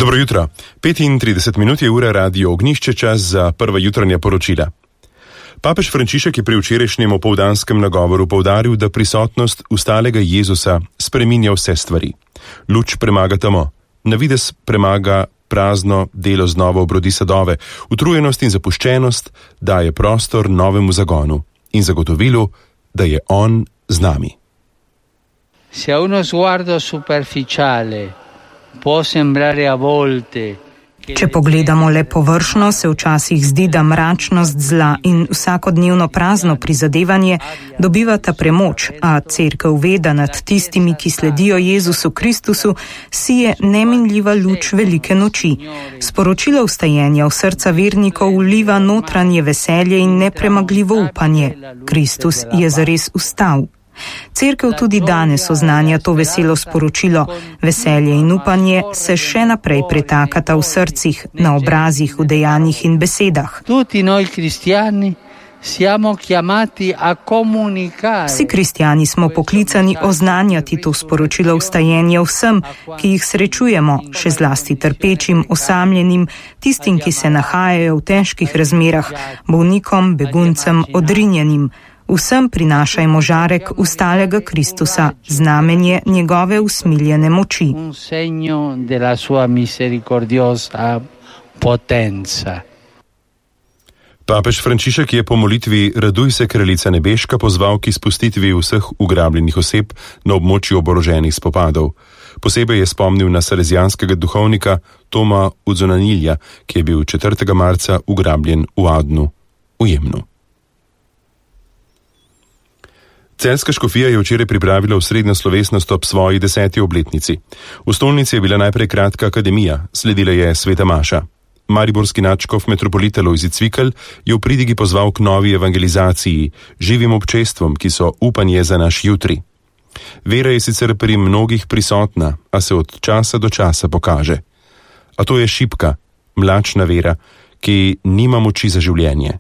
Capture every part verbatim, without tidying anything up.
Dobro jutro. petintrideset minut je ura Radio Ognjišče, čas za prva jutranja poročila. Papež Frančišek je pri včerajšnjem opoldanskem nagovoru poudaril, da prisotnost ustalega Jezusa spreminja vse stvari. Luč premaga temo, navidez premaga prazno, delo znova obrodi sadove, utrujenost in zapuščenost daje prostor novemu zagonu in zagotovilu, da je on z nami. Se a uno sguardo superficiale può sembrare a volte. Če pogledamo le površno, se včasih zdi, da mračnost zla in vsakodnevno prazno prizadevanje dobivata premoč, a cerkev ve, da nad tistimi, ki sledijo Jezusu Kristusu, sije neminljiva luč velike noči. Sporočilo vstajenja v srca vernikov vliva notranje veselje in nepremagljivo upanje. Kristus je zares vstal. Cerkev tudi danes oznanja to veselo sporočilo. Veselje in upanje se še naprej pretakata v srcih, na obrazih, v dejanjih in besedah. Tutti noi cristiani siamo chiamati a comunicare. Vsi kristjani smo poklicani oznanjati to sporočilo vstajenja vsem, ki jih srečujemo, še zlasti trpečim, osamljenim, tistim, ki se nahajajo v težkih razmerah, bolnikom, beguncem, odrinjenim. Vsem prinašajmo žarek ustalega Kristusa, znamenje njegove usmiljene moči. Un segno della sua misericordiosa potenza. Papež Frančišek je po molitvi Raduj se, kraljica nebeška, pozval k izpustitvi vseh ugrabljenih oseb na območju oboroženih spopadov. Posebej je spomnil na salezijanskega duhovnika Toma Udzonanilja, ki je bil četrtega marca ugrabljen v Adnu, v Jemnu. Celjska škofija je včeraj pripravila osrednjo slovesnost ob svoji deseti obletnici. V stolnici je bila najprej kratka akademija, sledila je sveta maša. Mariborski nadškof metropolita Lojze Cvikl je v pridigi pozval k novi evangelizaciji, živim občestvom, ki so upanje za naš jutri. Vera je sicer pri mnogih prisotna, a se od časa do časa pokaže. A to je šibka, mlačna vera, ki nima moči za življenje.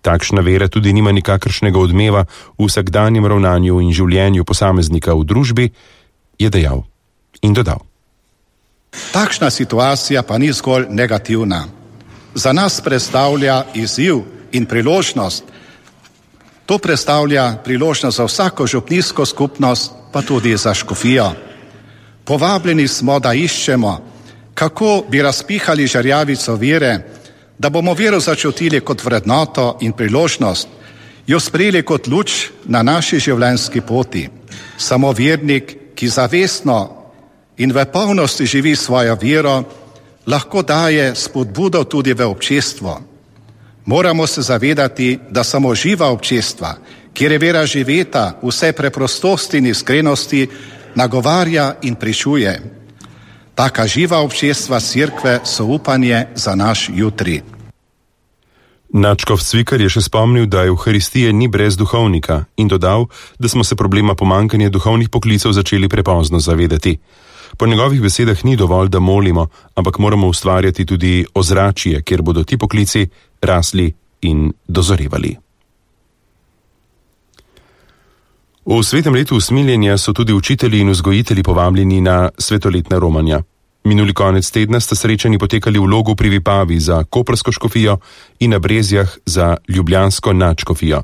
Takšna vera tudi nima nikakršnega odmeva v vsakdanjem ravnanju in življenju posameznika v družbi, je dejal in dodal. Takšna situacija pa ni zgolj negativna. Za nas predstavlja izziv in priložnost. To predstavlja priložnost za vsako župnijsko skupnost, pa tudi za škofijo. Povabljeni smo, da iščemo, kako bi razpihali žarjavico vere, da bomo vero začutili kot vrednoto in priložnost, jo sprejeli kot luč na naši življenjski poti. Samo vernik, ki zavestno in v polnosti živi svojo vero, lahko daje spodbudo tudi v občestvo. Moramo se zavedati, da samo živa občestva, kjer je vera živeta, vse preprostosti in iskrenosti, nagovarja in pričuje. Taka živa občestva cerkve so upanje za naš jutri. Nadškof Cvikl je še spomnil, da Evharistije ni brez duhovnika in dodal, da smo se problema pomanjkanja duhovnih poklicev začeli prepozno zavedati. Po njegovih besedah ni dovolj, da molimo, ampak moramo ustvarjati tudi ozračje, kjer bodo ti poklici rasli in dozorevali. V svetem letu usmiljenja so tudi učitelji in vzgojitelji povabljeni na svetoletna romanja. Minuli konec tedna sta srečanji potekali v Logu pri Vipavi za koprsko škofijo in na Brezjah za ljubljansko nadškofijo.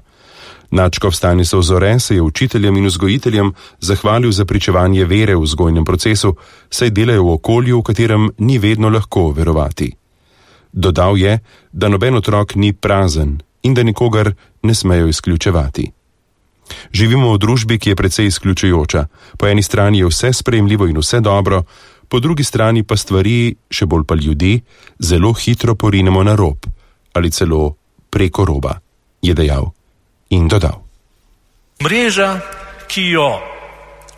Nadškof Stanislav Zore se je učiteljem in vzgojiteljem zahvalil za pričevanje vere v vzgojnem procesu, saj delajo v okolju, v katerem ni vedno lahko verovati. Dodal je, da noben otrok ni prazen in da nikogar ne smejo izključevati. Živimo v družbi, ki je precej izključujoča. Po eni strani je vse sprejemljivo in vse dobro, po drugi strani pa stvari, še bolj pa ljudi, zelo hitro porinemo na rob ali celo preko roba, je dejal in dodal. Mreža, ki jo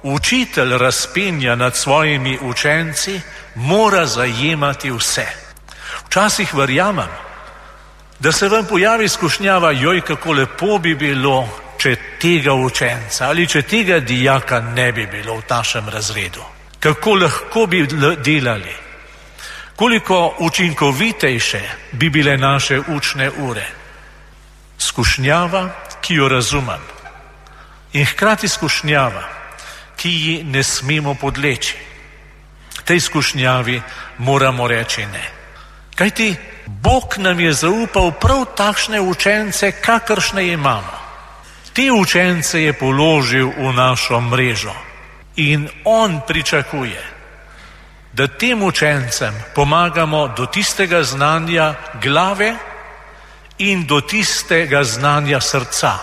učitelj razpenja nad svojimi učenci, mora zajemati vse. Včasih verjamem, da se vam pojavi skušnjava, joj, kako lepo bi bilo, če tega učenca ali če tega dijaka ne bi bilo v našem razredu. Kako lahko bi delali, koliko učinkovitejše bi bile naše učne ure. Skušnjava, ki jo razumem, in hkrati skušnjava, ki ji ne smemo podleči. tej skušnjavi moramo reči ne. Kajti Bog nam je zaupal prav takšne učence, kakršne imamo. Te učence je položil v našo mrežo in on pričakuje, da tem učencem pomagamo do tistega znanja glave in do tistega znanja srca,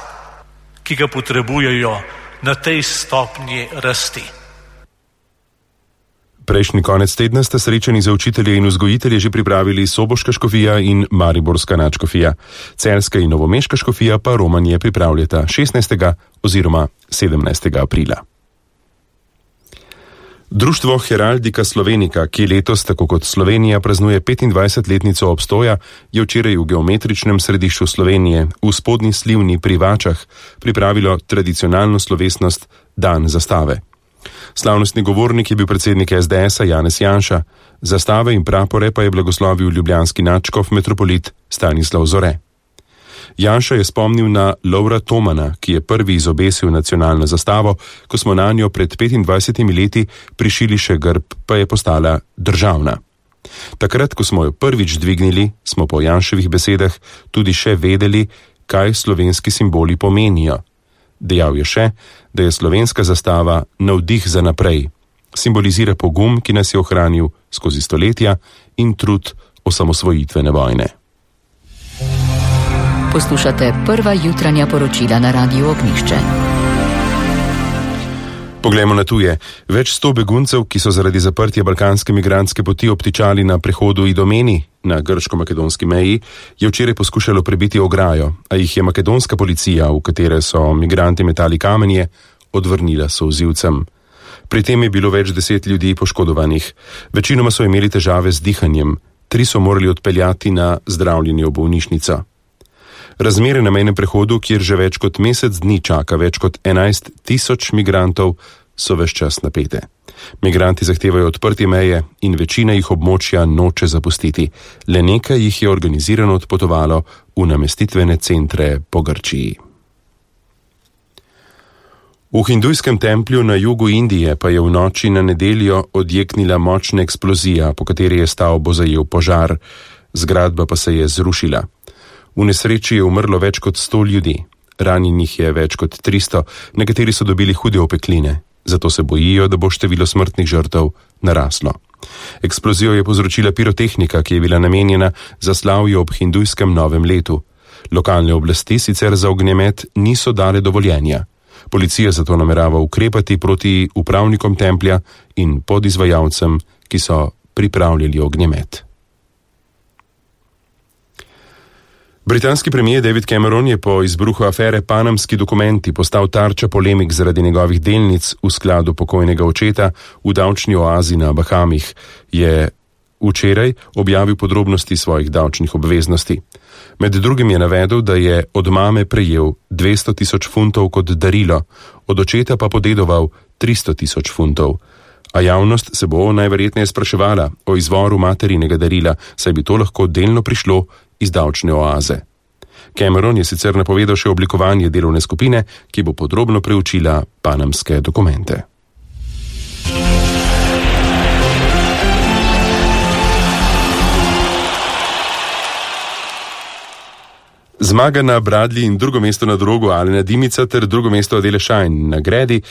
ki ga potrebujejo na tej stopnji rasti. Prejšnji konec tedna sta srečani za učitelje in vzgojitelje že pripravili soboška škofija in mariborska nadškofija. Celjska in novomeška škofija pa romanje pripravljata šestnajstega oziroma sedemnajstega aprila. Društvo Heraldika Slovenika, ki letos, tako kot Slovenija, praznuje petindvajsetletnico obstoja, je včeraj v geometričnem središču Slovenije, v Spodnji Slivni pri Vačah, pripravilo tradicionalno slovesnost Dan zastave. Slavnostni govornik je bil predsednik es de esa Janez Janša, zastave in prapore pa je blagoslovil ljubljanski nadškof metropolit Stanislav Zore. Janša je spomnil na Lovra Tomana, ki je prvi izobesil nacionalno zastavo, ko smo na njo pred petindvajsetimi leti prišili še grb, pa je postala državna. Takrat, ko smo jo prvič dvignili, smo po Janševih besedah tudi še vedeli, kaj slovenski simboli pomenijo. Dejal je še, da je slovenska zastava navdih za naprej, simbolizira pogum, ki nas je ohranil skozi stoletja, in trud osamosvojitvene vojne. Poslušate prva jutranja poročila na Radiu Ognjišče. Poglejmo na tuje. Več sto beguncev, ki so zaradi zaprtja balkanske migrantske poti obtičali na prehodu Idomeni na grško-makedonski meji, je včeraj poskušalo prebiti ograjo, a jih je makedonska policija, v katere so migranti metali kamenje, odvrnila solzivcem. Pri tem je bilo več deset ljudi poškodovanih. Večinoma so imeli težave z dihanjem, tri so morali odpeljati na zdravljenje v bolnišnico. Razmere na mejnem prehodu, kjer že več kot mesec dni čaka več kot enajst tisoč migrantov, so ves čas napete. Migranti zahtevajo odprtje meje in večina jih območja noče zapustiti. Le nekaj jih je organizirano odpotovalo v namestitvene centre po Grčiji. V hindujskem templju na jugu Indije pa je v noči na nedeljo odjeknila močna eksplozija, po kateri je stavbo zajel požar. Zgradba pa se je zrušila. V nesreči je umrlo več kot sto ljudi, ranjenih je več kot tristo, nekateri so dobili hude opekline, zato se bojijo, da bo število smrtnih žrtev naraslo. Eksplozijo je povzročila pirotehnika, ki je bila namenjena za slavje ob hindujskem novem letu. Lokalne oblasti sicer za ognjemet niso dale dovoljenja. Policija zato namerava ukrepati proti upravnikom templja in podizvajalcem, ki so pripravljali ognjemet. Britanski premijer David Cameron je po izbruhu afere Panamski dokumenti postal tarča polemik zaradi njegovih delnic v skladu pokojnega očeta v davčni oazi na Bahamih. Je včeraj objavil podrobnosti svojih davčnih obveznosti. Med drugim je navedel, da je od mame prejel dvesto tisoč funtov kot darilo, od očeta pa podedoval tristo tisoč funtov. A javnost se bo najverjetneje spraševala o izvoru materinega darila, saj bi to lahko delno prišlo iz davčne oaze. Cameron je sicer napovedal še oblikovanje delovne skupine, ki bo podrobno preučila panamske dokumente. Zmaga na Bradley in drugo mesto na drogu Alena Dimica ter drugo mesto Adele Schein na gredi